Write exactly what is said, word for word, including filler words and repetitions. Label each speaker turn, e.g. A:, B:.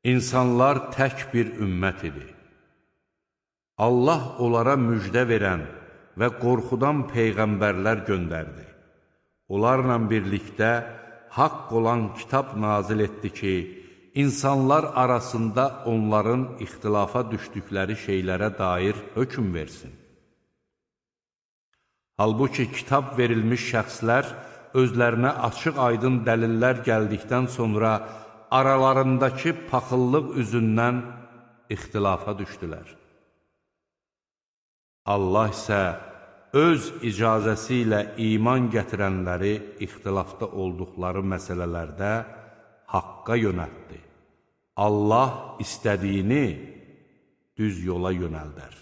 A: İnsanlar tək bir ümmət idi. Allah onlara müjdə verən və qorxudan peyğəmbərlər göndərdi. Onlarla birlikdə haqq olan kitab nazil etdi ki, insanlar arasında onların ixtilafa düşdükləri şeylərə dair hökm versin. Halbuki kitab verilmiş şəxslər özlərinə açıq-aydın dəlillər gəldikdən sonra aralarındakı paxıllıq üzündən ixtilafa düşdülər. Allah isə öz icazəsi ilə iman gətirənləri ixtilafda olduqları məsələlərdə haqqa yönəltdi. Allah istədiyini düz yola yönəldər.